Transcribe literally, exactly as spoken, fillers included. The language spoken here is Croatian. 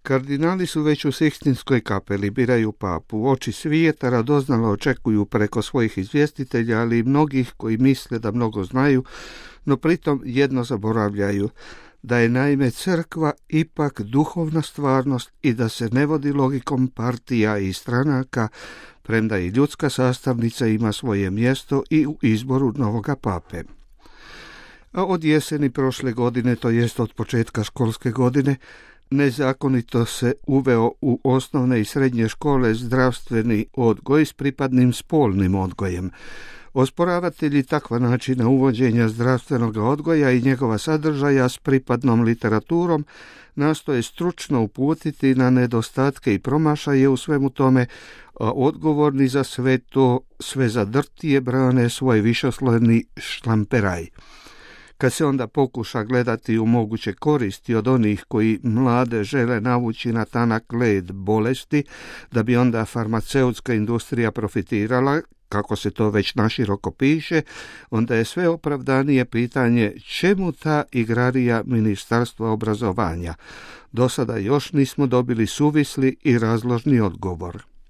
Kardinali su već u Sikstinskoj kapeli, biraju papu. Oči svijeta radoznalo očekuju preko svojih izvjestitelja, ali i mnogih koji misle da mnogo znaju, no pritom jedno zaboravljaju, da je naime crkva ipak duhovna stvarnost i da se ne vodi logikom partija i stranaka, premda i ljudska sastavnica ima svoje mjesto i u izboru novoga pape. A od jeseni prošle godine, to jest od početka školske godine, nezakonito se uveo u osnovne i srednje škole zdravstveni odgoj s pripadnim spolnim odgojem. Osporavatelji takva načina uvođenja zdravstvenog odgoja i njegova sadržaja s pripadnom literaturom nastoje stručno uputiti na nedostatke i promašaje u svemu tome, a odgovorni za sve to sve zadrtije brane svoj višeslojni šlamperaj. Kad se onda pokuša gledati u moguće koristi od onih koji mlade žele navući na tanak led bolesti, da bi onda farmaceutska industrija profitirala, kako se to već naširoko piše, onda je sve opravdanije pitanje čemu ta igrarija Ministarstva obrazovanja. Do sada još nismo dobili suvisli i razložni odgovor.